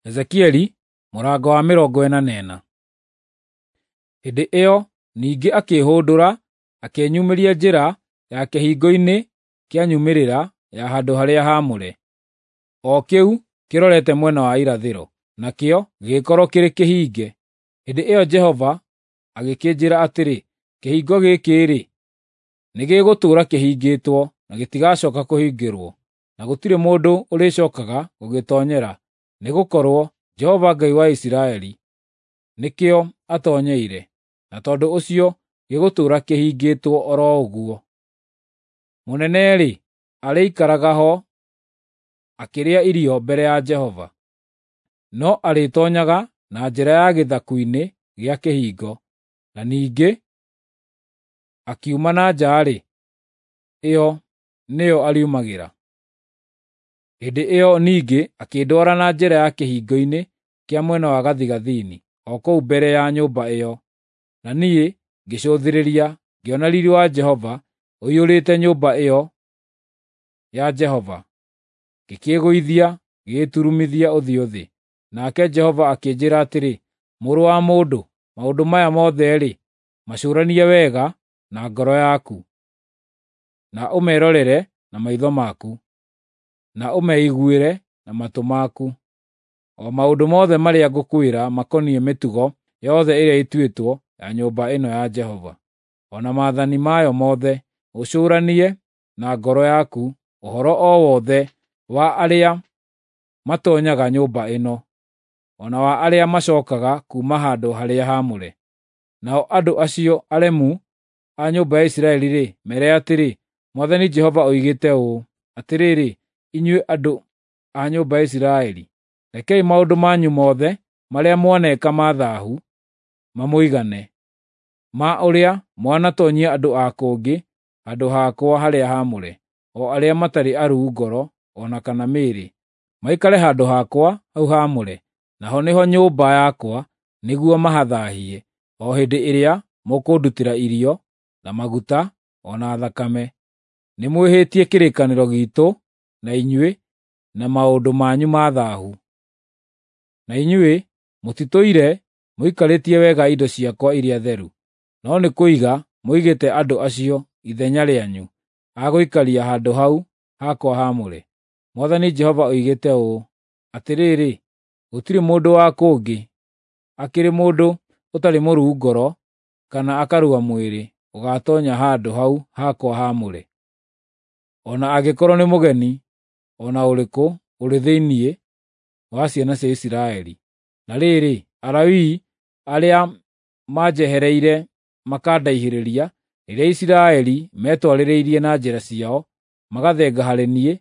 Ezekieli mũrango wa 44. Hĩndĩ ĩyo ningĩ akĩĩhũndũra akĩnyumĩria njĩra ya kĩhingo-inĩ kĩa nyumĩrĩra ya handũ-harĩa-haamũre, o kĩu kĩrorete mwena wa irathĩro, nakĩo gĩgĩkorwo kĩrĩ kĩhinge. Hĩndĩ ĩyo Jehova agĩkĩnjĩĩra atĩrĩ, “Kĩhingo gĩkĩ-rĩ, nĩgĩgũtũũra kĩhingĩtwo na gĩtigacooka kũhingũrwo, na gũtirĩ mũndũ ũrĩcookaga gũgĩtoonyera, nĩgũkorwo Jehova Ngai wa Isiraeli nĩkĩo atoonyeire, na tondũ ũcio gĩgũtũũra kĩhingĩtwo o ro ũguo. Mũnene-rĩ, arĩikaraga ho akĩrĩa irio mbere ya Jehova, no arĩtoonyaga na njĩra ya gĩthaku-inĩ gĩa kĩhingo, na ningĩ akiuma na nja-rĩ, ĩyo nĩyo ariumagĩra.” Hĩndĩ ĩyo ningĩ akĩndwara na njĩra ya kĩhingo-inĩ kĩa mwena wa gathigathini, o kũu mbere ya nyũmba ĩyo, na niĩ ngĩcũthĩrĩria, ngĩona riiri wa Jehova ũiyũrĩte nyũmba ĩyo ya Jehova, ngĩkĩĩgũithia ngĩĩturumithia ũthiũ thĩ. Nake Jehova akĩnjĩĩra atĩrĩ, “Mũrũ wa mũndũ, maũndũ maya mothe-rĩ, macũranie wega na ngoro yaku, na ũmerorere na maitho maku, na ũmeiguĩre na matũ maku, o maũndũ mothe marĩa ngũkwĩra makoniĩ mĩtugo yothe ĩrĩa ĩtuĩtwo ya nyũmba ĩno ya Jehova, o na maathani mayo mothe, ũcũũranie na ngoro yaku ũhoro o wothe wa arĩa matoonyaga nyũmba ĩno, o na wa arĩa macookaga kuuma handũ-harĩa-haamũre. Nao andũ acio aremu a nyũmba ya Isiraeli-rĩ, meere atĩrĩ, ‘Mwathani Jehova oigĩte ũũ: Atĩrĩrĩ, inyuĩ andũ a nyũmba ya Isiraeli, rekei maũndũ manyu mothe marĩa mwaneka ma thaahu mamũigane, ma ũrĩa mwanatoonyia andũ a kũngĩ handũ hakwa harĩa haamũre, o arĩa matarĩ aruu ngoro o na kana mĩĩrĩ, maikare handũ hakwa hau haamũre, naho nĩho nyũmba yakwa, nĩguo mahathaahie, o hĩndĩ ĩrĩa mũkũndutĩra irio, na maguta, o na thakame. Nĩmwĩhĩtie kĩrĩkanĩro giitũ na inyuĩ na maũndũ manyu ma thaahu. Na inyuĩ mũtitũire mũikarĩtie wega indo ciakwa iria theru, no nĩ kũiga mũigĩte andũ acio ithenya rĩanyu a gũikaria handũ hau hakwa haamũre. Mwathani Jehova oigĩte ũũ: Atĩrĩrĩ, gũtirĩ mũndũ wa kũngĩ, akĩrĩ mũndũ ũtarĩ mũruu ngoro kana akarua mwĩrĩ, ũgaatoonya handũ hau hakwa haamũre, o na angĩkorwo nĩ mũgeni o na ũrĩkũ ũrĩ thĩinĩ wa ciana cia Isiraeli. Na rĩrĩ, Alawii arĩa manjehereire makandaihĩrĩria rĩrĩa Isiraeli metwarĩrĩirie na njĩra ciao magathenga harĩ niĩ,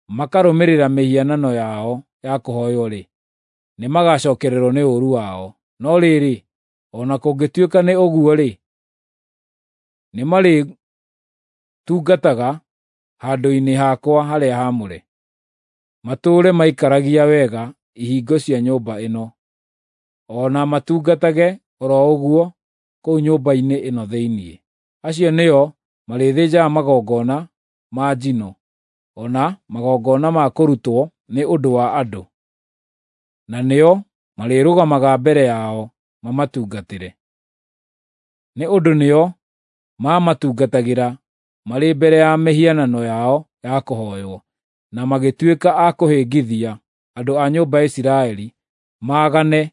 makarũmĩrĩra mĩhianano yao ya kũhooywo-rĩ, nĩmagacookererwo nĩ ũũru wao. No rĩrĩ, o na kũngĩtuĩka nĩ ũguo-rĩ, nĩmarĩtungataga handũ-inĩ hakwa harĩa haamũre, matũũre maikaragia wega ihingo cia nyũmba ĩno, o na matungatage o ro ũguo kũu nyũmba-inĩ ĩno thĩinĩ. Acio nĩo marĩthĩnjaga magongona ma njino, o na magongona ma kũrutwo nĩ ũndũ wa andũ, na nĩo marĩrũgamaga mbere yao mamatungatĩre. Nĩ ũndũ nĩo maamatungatagĩra marĩ mbere ya mĩhianano yao ya kũhooywo, na magĩtuĩka a kũhĩngithia andũ a nyũmba ya Isiraeli maagane,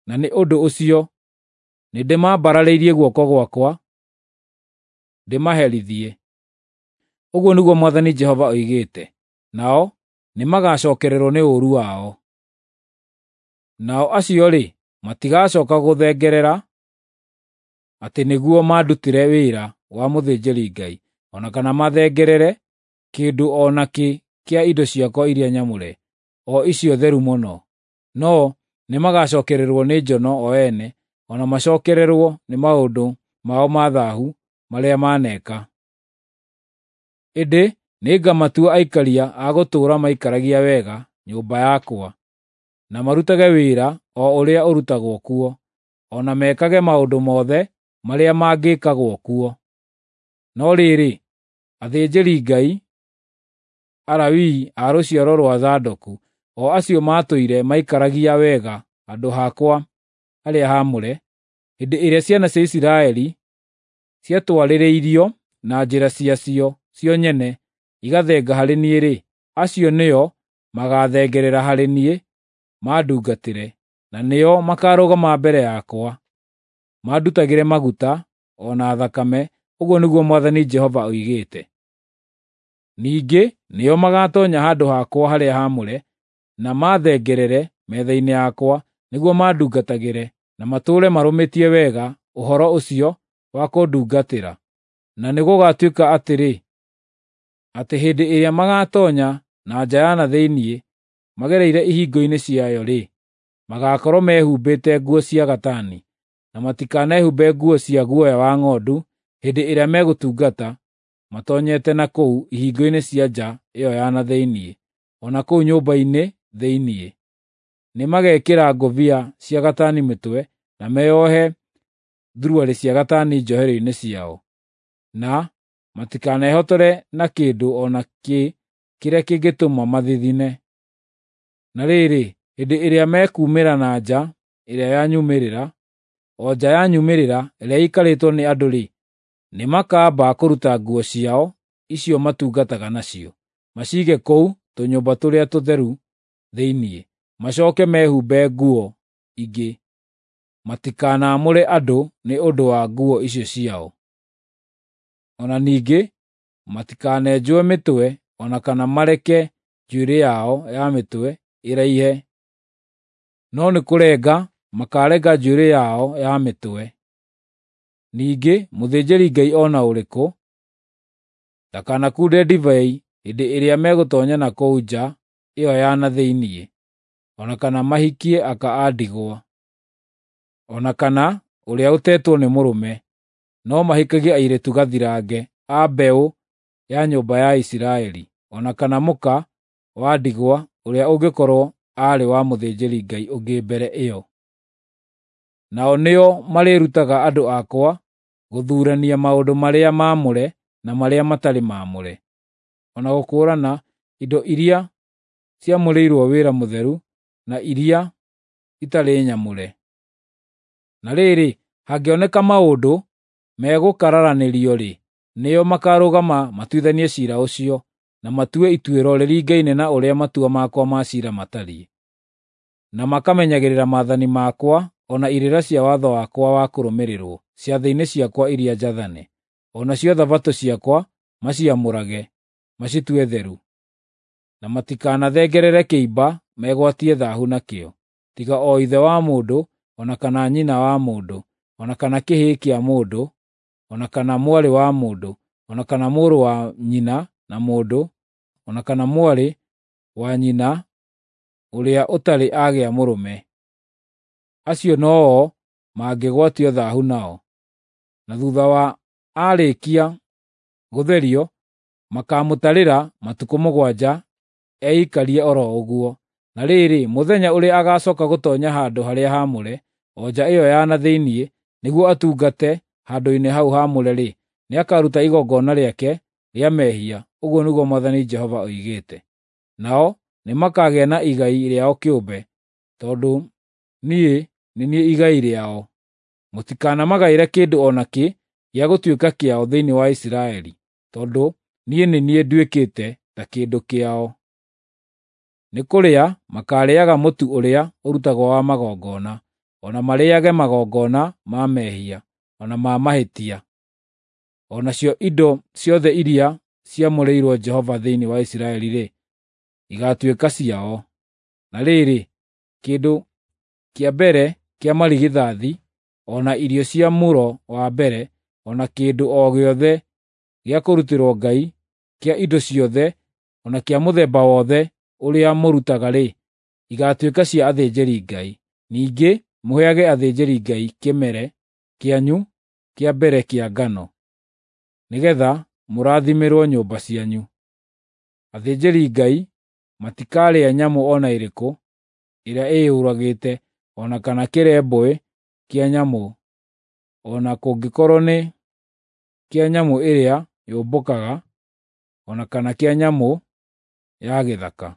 na nĩ ũndũ ũcio nĩndĩmambararĩirie guoko gwakwa ndĩmaherithie. Ũguo nĩguo Mwathani Jehova oigĩte, nao nĩmagacookererwo nĩ ũũru wao. Nao acio-rĩ, matigacooka gũthengerera atĩ nĩguo mandutĩre wĩra wa mũthĩnjĩri-Ngai, o na kana mathengerere kĩndũ o nakĩ kĩa indo ciakwa iria nyamũre, o icio theru mũno. No nĩmagacookererwo nĩ njono o ene, o na macookererwo nĩ maũndũ mao ma thaahu marĩa maneeka. Ĩndĩ nĩngamatua aikaria a gũtũũra maikaragia wega nyũmba yakwa, na marutage wĩra o ũrĩa ũrutagwo kuo, o na mekage maũndũ mothe marĩa mangĩkagwo kuo. No rĩrĩ, athĩnjĩri-Ngai, Alawii a rũciaro rwa Zadoku, o acio maatũire maikaragia wega handũ hakwa harĩa haamũre, hĩndĩ ĩrĩa ciana cia Isiraeli ciatwarĩrĩirio na njĩra ciacio cio nyene igathenga harĩ niĩ-rĩ, acio nĩo magathengerera harĩ niĩ mandungatĩre, na nĩo makarũgama mbere yakwa, mandutagĩre maguta o na thakame, ũguo nĩguo Mwathani Jehova oigĩte. Ningĩ nĩo magatoonya handũ hakwa harĩa haamũre, na mathengerere metha-inĩ yakwa, nĩguo mandungatagĩre, na matũũre marũmĩtie wega ũhoro ũcio wa kũndungatĩra. Na nĩgũgatuĩka atĩrĩ, atĩ hĩndĩ ĩrĩa magatoonya na nja ya na thĩinĩ magereire ihingo-inĩ ciayo-rĩ, magaakorwo mehumbĩte nguo cia gatani, na matikanehumbe nguo cia guoya wa ng'ondu hĩndĩ ĩrĩa megũtungata matoonyete na kũu ihingo-inĩ cia nja ĩyo ya na thĩinĩ, o na kũu nyũmba-inĩ thĩinĩ. Nĩmagekĩra ngũbia cia gatani mĩtwe, na meeohe thuruarĩ cia gatani njohero-inĩ ciao, na matikanehotore na kĩndũ o na kĩ kĩrĩa kĩngĩtũma mathithine. Na rĩrĩ, hĩndĩ ĩrĩa mekuumĩra na nja ĩrĩa ya nyumĩrĩra, o nja ya nyumĩrĩra ĩrĩa ĩikarĩtwo nĩ andũ-rĩ, nĩmakamba kũruta nguo ciao icio matungataga nacio, maciige kũu tũnyũmba tũrĩa tũtheru thĩinĩ, macooke mehumbe nguo ingĩ. Matikanaamũre andũ nĩ ũndũ wa nguo icio ciao. O na ningĩ matikanenjwo mĩtwe o na kana mareke njuĩrĩ yao ya mĩtwe ĩraihe, no nĩ kũrenga makaarenga njuĩrĩ yao ya mĩtwe. Ningĩ mũthĩnjĩri-Ngai o na ũrĩkũ ndakanakunde ndibei hĩndĩ ĩrĩa megũtoonya na kũu nja ĩyo ya na thĩinĩ, o na kana mahikie aka a ndigwa, o na kana ũrĩa ũtetwo nĩ mũrũme, no mahikagie airĩtu gathirange a mbeũ ya nyũmba ya Isiraeli, o na kana mũka wa ndigwa ũrĩa ũngĩkorwo aarĩ wa mũthĩnjĩri-Ngai ũngĩ mbere ĩyo. Nao nĩo marĩĩrutaga andũ akwa gũthuurania maũndũ marĩa maamũre na marĩa matarĩ maamũre, o na gũkũũrana indo iria ciamũrĩirwo wĩra mũtheru na iria itarĩ nyamũre. Na rĩrĩ, hangĩoneka maũndũ megũkararanĩrio-rĩ, nĩo makarũgama matuithanie ciira ũcio, na matue ituĩro rĩringaine na ũrĩa matua makwa ma ciira matariĩ, na makamenyagĩrĩra maathani makwa o na irĩra cia watho wakwa wa kũrũmĩrĩrwo ciathĩ-inĩ ciakwa iria njathane, o nacio Thabatũ ciakwa maciamũrage, macitue theru, na matikanathengerere kĩimba megwatie thaahu nakĩo, tiga o ithe wa mũndũ, o na kana nyina wa mũndũ, o na kana kĩhĩĩ kĩa mũndũ, o na kana mwarĩ wa mũndũ, o na kana mũrũ wa nyina na mũndũ, o na kana mwarĩ wa nyina ũrĩa ũtarĩ agĩa mũrũme. Acio no-o mangĩgwatio thaahu nao. Na thuutha wa aarĩkia gũtherio, makaamũtarĩra matukũ 7 eikarie o ro ũguo. Na rĩrĩ, mũthenya ũrĩa agacooka gũtoonya handũ-harĩa-haamũre, o nja ĩyo ya na thĩinĩ, nĩguo atungate handũ-inĩ hau haamũre-rĩ, nĩakaruta igongona rĩake rĩa mehia, ũguo nĩguo Mwathani Jehova oigĩte. Nao nĩmakagĩa na igai rĩao kĩũmbe, tondũ niĩ nĩ niĩ igai rĩao. Mũtikanamagaĩre kĩndũ o nakĩ gĩa gũtuĩka kĩao thĩinĩ wa Isiraeli, tondũ niĩ nĩ niĩ nduĩkĩte ta kĩndũ kĩao. Nĩ kũrĩa makaarĩĩaga mũtu ũrĩa ũrutagwo wa magongona, o na marĩĩage magongona ma mehia, o na ma mahĩtia. O nacio indo ciothe iria ciamũrĩirwo Jehova thĩinĩ wa Isiraeli-rĩ, igaatuĩka ciao. Na rĩrĩ, kĩndũ kĩa mbere kĩa marigithathi, o na irio cia mũro wa mbere, o na kĩndũ o gĩothe gĩa kũrutĩrwo Ngai kĩa indo ciothe, o na kĩa mũthemba wothe ũrĩa mũrutaga-rĩ, igaatuĩka cia athĩnjĩri-Ngai. Ningĩ mũheage athĩnjĩri-Ngai kĩmere kĩanyu kĩa mbere kĩa ngano, nĩgeetha mũrathimĩrwo nyũmba cianyu. Athĩnjĩri-Ngai matikarĩa nyamũ o na ĩrĩkũ ĩrĩa ĩyũragĩte, o na kana kĩrembũĩ kĩa nyamũ, o na kũngĩkorwo nĩ kĩa nyamũ ĩrĩa yũmbũkaga, o na kana kĩa nyamũ ya gĩthaka.